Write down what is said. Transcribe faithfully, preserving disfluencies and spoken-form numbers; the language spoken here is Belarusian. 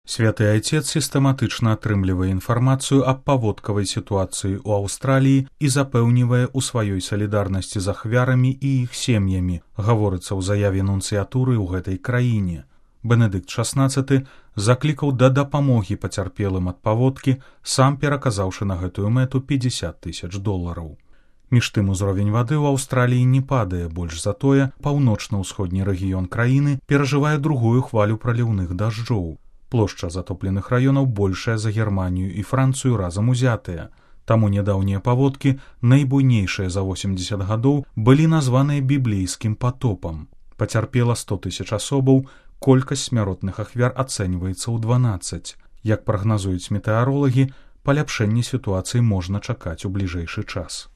Святы Айцец сістэматычна атрымлівае інфармацыю аб паводкавай сітуацыі ў Аўстраліі і запэўнівае ў сваёй салідарнасці з ахвярамі і іх сем'ямі, гаворыцца ў заяве нунцыятуры ў гэтай краіне. Бенедыкт шаснаццаты заклікаў да дапамогі пацярпелым ад паводкі, сам пераказаўшы на гэтую мэту пятьдесят тысяч долараў. Між тым узровень вады ў Аўстраліі не падае, больш за тое, паўночна-ўсходні рэгіён краіны перажывае другую хвалю праліўных дажджоў. Плошча затопленых раёнаў большая за Германію і Францыю разам узятыя. Таму нядаўнія паводкі, найбуйнейшыя за восемьдесят гадоў, былі названыя біблейскім патопам. Пацярпела сто тысяч асобаў, колькасць смяротных ахвяр ацэньваецца ў дванаццаць. Як прагназуюць метэаролагі, паляпшэнне сітуацыі можна чакаць у бліжэйшы час.